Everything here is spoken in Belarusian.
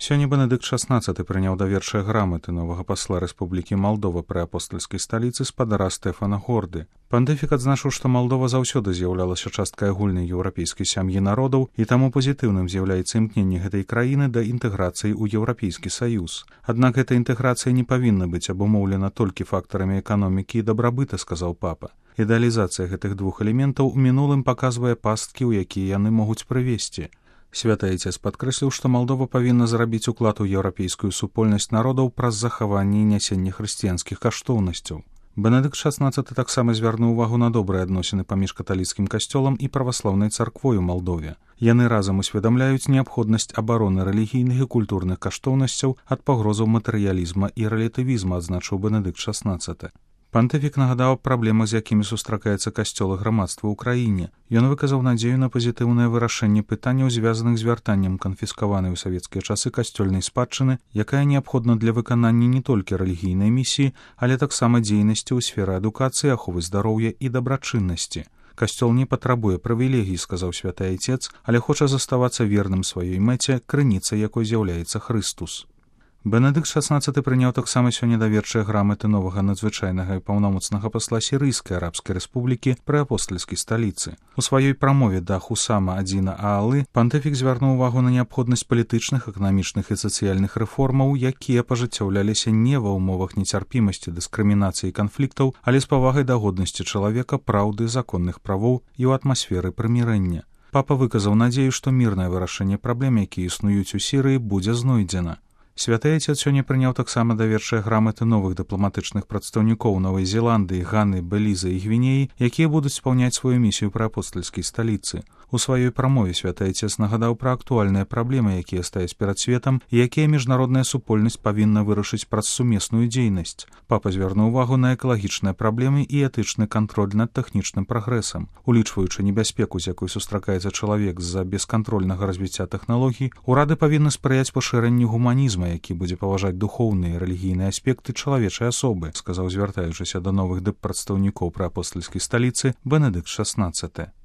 Сёння Бенедыкт XVI прыняў даверчыя граматы новага пасла Рэспублікі Малдова пры апостальскай сталіцы спадара Стэфана Горды. Пантыфік адзначыў, што Малдова заўсёды з'яўлялася часткай агульнай еўрапейскай сям'і народаў, і таму пазітыўным з'яўляецца імкненне гэтай краіны да інтэграцыі ў Еўрапейскі саюз. Аднак гэта інтэграцыя не павінна быць абумоўлена толькі фактарамі эканомікі і дабрабыта, сказаў папа. Ідэалізацыя гэтых двух элементаў у мінулым паказвае пасткі, у якія яны могуць прывесці. Святы Айцец падкрэсліў, што Малдова павінна зрабіць уклад у еўрапейскую супольнасць народаў праз захаванне і нясенне хрысціянскіх каштоўнасцяў. Бенедыкт XVI таксама звярнуў увагу на добрыя адносіны паміж каталіцкім касцёлам і праваслаўнай царквой у Малдове. Яны разам усведамляюць неабходнасць абароны рэлігійных і культурных каштоўнасцяў ад пагрозаў матэрыялізма і рэлятывізма, адзначыў Бенедыкт XVI. Пантыфік нагадаў праблемы, з якімі сустракаецца касцёл і грамадства ў краіне. Ён выказаў надзею на пазітыўнае вырашэнне пытанняў, звязаных з вяртаннем канфіскаванай у савецкія часы касцёльнай спадчыны, якая неабходна для выканання не толькі рэлігійнай місіі, але таксама дзейнасці ў сферы адукацыі, аховы здароўя і дабрачыннасці. Касцёл не патрабуе прывілегій, сказаў святы Айцец, але хоча заставацца верным сваёй мэце, крыніцай якой з'яўляецца Хрыстус. Бенедыкт XVI прыняў таксама сёння даверчыя граматы новага надзвычайнага і паўнамоцнага пасла Сірыйскай арабскай рэспублікі пры апостальскай сталіцы. У сваёй прамове да Хусама Адзіна Аалы пантыфік звярнуў увагу на неабходнасць палітычных, эканамічных і сацыяльных рэформаў, якія пажыццяўляліся не ва ўмовах нецярпімасці, дыскрымінацыі і канфліктаў, але з павагай да годнасці чалавека, праўды, законных правоў і ў атмасферы прымірэння. Папа выказаў надзею, што мірнае вырашэнне праблем, якія існуюць у Сірыі, будзе знойдзена. Святы Айцец сёння прыняў таксама даверчыя граматы новых дыпламатычных прадстаўнікоў Новай Зеландыі, Ганы, Беліза і Гвінеі, якія будуць спаўняць сваю місію пры апостальскай сталіцы. У сваёй прамове святы Айцец нагадаў пра актуальныя праблемы, якія стаяць перад светам і якія міжнародная супольнасць павінна вырашыць праз сумесную дзейнасць. Папа звярнуў увагу на экалагічныя праблемы і этычны кантроль над тэхнічным прагрэсам. Улічваючы небяспеку, з якой сустракаецца чалавек з-за бескантрольнага развіцця тэхналогій, урады павінны спрыяць пашырэнню гуманізма, які будзе паважаць духоўныя і рэлігійныя аспекты чалавечай асобы, сказаў, звяртаючыся да новых дыппрадстаўнікоў пры апостальскай сталіцы Бенедыкт XVI.